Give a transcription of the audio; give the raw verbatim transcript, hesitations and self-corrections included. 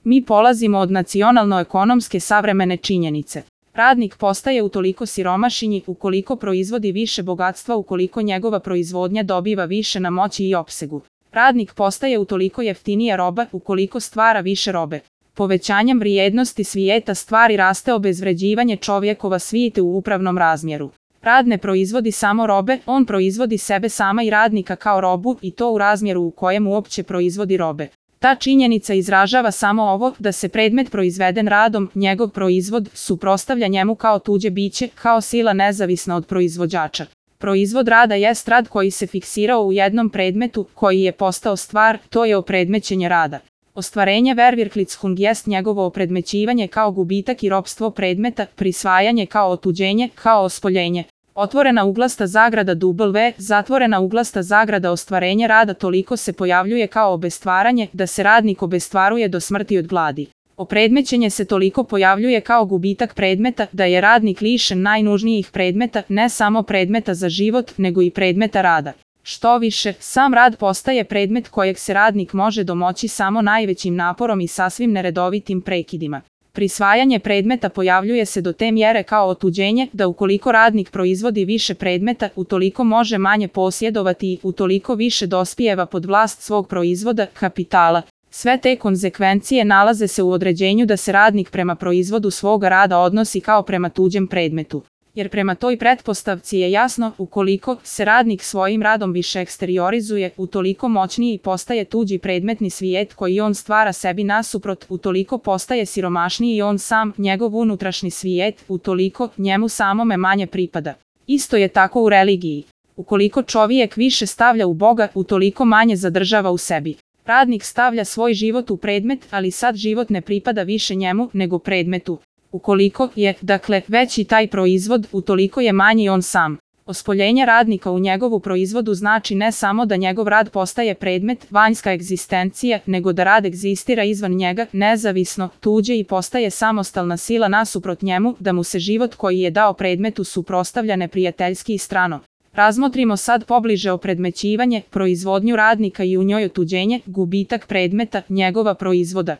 Mi polazimo od nacionalno-ekonomske savremene činjenice. Radnik postaje utoliko siromašnji ukoliko proizvodi više bogatstva, ukoliko njegova proizvodnja dobiva više na moći i opsegu. Radnik postaje utoliko jeftinija roba ukoliko stvara više robe. Povećanjem vrijednosti svijeta stvari raste obezvređivanje čovjekova svijete u upravnom razmjeru. Rad ne proizvodi samo robe, on proizvodi sebe sama i radnika kao robu i to u razmjeru u kojem uopće proizvodi robe. Ta činjenica izražava samo ovo da se predmet proizveden radom, njegov proizvod, suprotstavlja njemu kao tuđe biće, kao sila nezavisna od proizvođača. Proizvod rada jest rad koji se fiksirao u jednom predmetu, koji je postao stvar, to je opredmećenje rada. Ostvarenje Verwirklichung jest njegovo opredmećivanje kao gubitak i ropstvo predmeta, prisvajanje kao otuđenje, kao ospoljenje. Otvorena uglasta zagrada W, zatvorena uglasta zagrada ostvarenje rada toliko se pojavljuje kao obestvaranje da se radnik obestvaruje do smrti od gladi. Opredmećenje se toliko pojavljuje kao gubitak predmeta da je radnik lišen najnužnijih predmeta, ne samo predmeta za život, nego i predmeta rada. Što više, sam rad postaje predmet kojeg se radnik može domoći samo najvećim naporom i sasvim neredovitim prekidima. Prisvajanje predmeta pojavljuje se do te mjere kao otuđenje da ukoliko radnik proizvodi više predmeta, utoliko može manje posjedovati i utoliko više dospijeva pod vlast svog proizvoda, kapitala. Sve te konzekvencije nalaze se u određenju da se radnik prema proizvodu svoga rada odnosi kao prema tuđem predmetu. Jer prema toj pretpostavci je jasno, ukoliko se radnik svojim radom više eksteriorizuje, utoliko moćniji postaje tuđi predmetni svijet koji on stvara sebi nasuprot, utoliko postaje siromašniji i on sam, njegov unutrašnji svijet, utoliko njemu samome manje pripada. Isto je tako u religiji. Ukoliko čovjek više stavlja u Boga, utoliko manje zadržava u sebi. Radnik stavlja svoj život u predmet, ali sad život ne pripada više njemu, nego predmetu. Ukoliko je, dakle, veći taj proizvod, utoliko je manji on sam. Ospoljenje radnika u njegovu proizvodu znači ne samo da njegov rad postaje predmet, vanjska egzistencija, nego da rad egzistira izvan njega, nezavisno, tuđe i postaje samostalna sila nasuprot njemu, da mu se život koji je dao predmetu suprotstavlja neprijateljski i strano. Razmotrimo sad pobliže opredmećivanje, proizvodnju radnika i u njoj otuđenje, gubitak predmeta, njegova proizvoda.